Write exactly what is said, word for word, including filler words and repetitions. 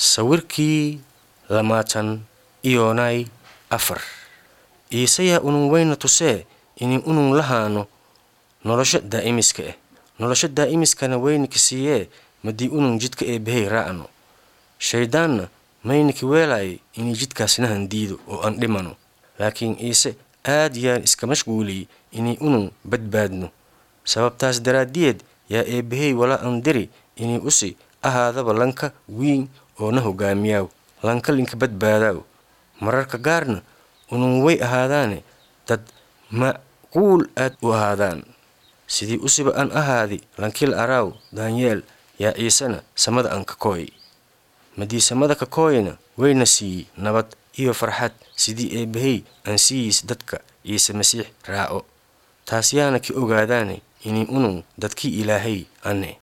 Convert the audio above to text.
Sawirkii lamaatan iyonay afar Iisayaa unun wayna tusee inay unun lahaano nolosha daa'imiska ah. Nolosha daa'imiskana waynaki siiyee madii unun jidka eebbahey raacno. Shayddaanna maynaki weelaayay inay jidkaasnahan diido oo aan dhimano. Laakiin Iise aad yaan iska mashquuliyey inay unun badbaadno. Sababtaas daraaddiyeed yaa eebbahey walaa an diri inay usi ahaadaba lanka wiin oo na hogaamiyaaw, lanka linka badbaadaaw. Mararka gaarna unun way ahaadaane dad macquul aad u ahaadaan. Sidii usiba an ahaadi lankil araaw Daanyeel yaa Iisena samada an ka kooy. Madii samada ka kooyna wayna siiyey nabad iyo farxad sidii eebbahey aan siiyiis dadka Iise Masiix raaco. Taas yaana ki ogaadaane inay unun dadkii Ilaahay ane.